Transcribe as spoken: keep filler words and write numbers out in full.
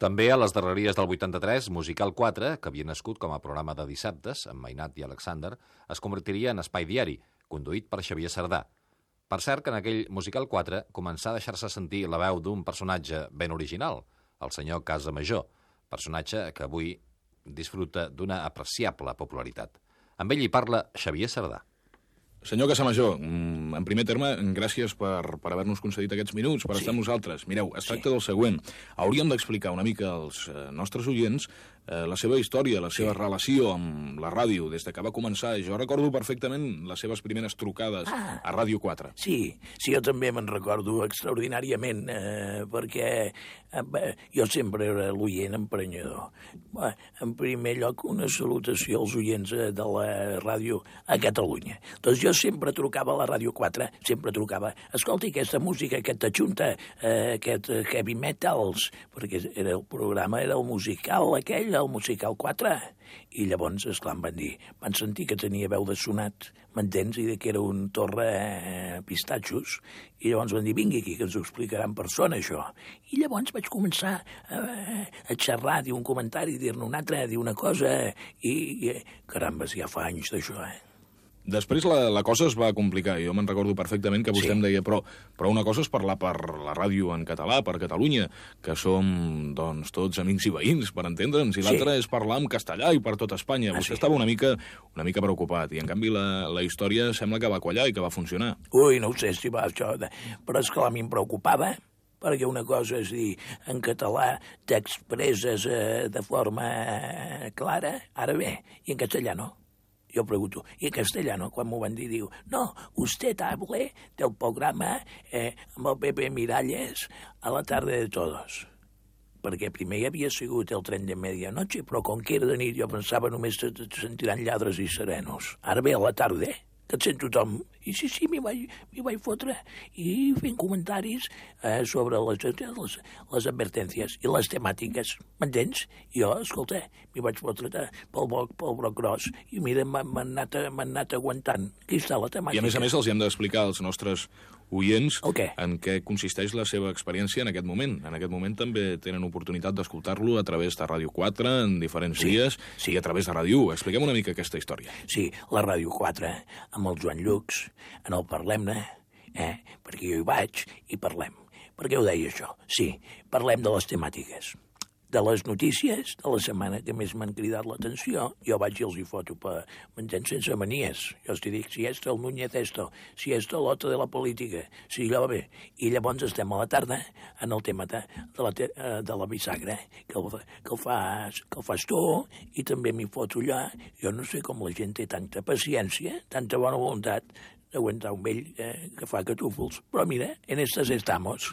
També a les darreries del vuitanta-tres, Musical quatre, que havia nascut com a programa de dissabtes, amb Mainat i Alexander, es convertiria en espai diari, conduït per Xavier Sardà. Per cert que en aquell Musical quatre començà a deixar-se sentir la veu d'un personatge ben original, el senyor Casamajor, personatge que avui disfruta d'una apreciable popularitat. Amb ell hi parla Xavier Sardà. Senyor Casamajor, en primer terme, gràcies per, per haver-nos concedit aquests minuts, per sí. estar amb nosaltres. Mireu, es tracta sí. del següent. Hauríem d'explicar una mica als eh, nostres oients eh, la seva història, la seva sí. relació amb la ràdio, des que va començar. Jo recordo perfectament les seves primeres trucades ah, a Ràdio quatre. Sí, sí, jo també me'n recordo extraordinàriament, eh, perquè eh, jo sempre era l'oient emprenyador. Bé, en primer lloc, una salutació als oients de la ràdio a Catalunya. Doncs jo Jo sempre trucava a la Ràdio quatre, sempre trucava, escolti, aquesta música, aquesta xunta, eh, aquest heavy metals, perquè era el programa, era el musical aquell, el musical quatre. I llavors, esclar, em van dir, van sentir que tenia veu de sonat, m'entens, i que era un torre eh, pistatxos, i llavors van dir, vingui aquí, que ens ho explicarà en persona, això. I llavors vaig començar a, a xerrar, dir un comentari, dir-ne un altre, dir una cosa, i, i carambes, ja fa anys d'això, eh? Després la, la cosa es va complicar. Jo me'n recordo perfectament que vostè sí. em deia però, però una cosa és parlar per la ràdio en català, per Catalunya, que som doncs, tots amics i veïns, per entendre'ns, i sí. l'altra és parlar en castellà i per tot Espanya. Ah, vostè sí. estava una mica, una mica preocupat, i en canvi la, la història sembla que va quallar i que va funcionar. Ui, no ho sé si va això, de... però és que a mi em preocupava, perquè una cosa és dir, en català t'expresses eh, de forma eh, clara, ara bé, i en castellà no. Jo pregunto, i en castellano, quan m'ho van dir, diu, no, usted hable del programa eh, amb el Pepe Miralles a la tarde de todos. Perquè primer ja havia sigut el tren de medianoche, però com que era de nit jo pensava només que et sentiran lladres i serenos. Ara ve a la tarda, que et sent tothom. I sí, sí, m'hi vaig, m'hi vaig fotre. I fent comentaris eh, sobre les, les, les advertències i les temàtiques. M'entens? I jo, escolta, m'hi vaig fotre pel broc, pel broc gros. I mira, m'han anat, anat aguantant. Aquí està la temàtica. I a més a més els hi hem d'explicar als nostres oients okay. en què consisteix la seva experiència en aquest moment. En aquest moment també tenen oportunitat d'escoltar-lo a través de Ràdio quatre en diferents sí, dies sí. i a través de Ràdio u. Expliquem una mica aquesta història. Sí, la Ràdio quatre, amb el Joan Llux, en el Parlem-ne, eh? perquè jo hi vaig i parlem. Per què ho deia això? Sí, parlem de les temàtiques, de les notícies de la setmana que més m'han cridat l'atenció. Jo vaig i els hi foto per m'entens sense manies. Jo els dic, si esto el Núñez esto, si esto l'altre de la política, si allò bé. I llavors estem a la tarda en el tema de, de, la, de la bisagra, que el, que, el fas, que el fas tu, i també m'hi foto allà. Jo no sé com la gent té tanta paciència, tanta bona voluntat d'aguantar un vell eh, que fa catúfols. Però mira, en estas estamos.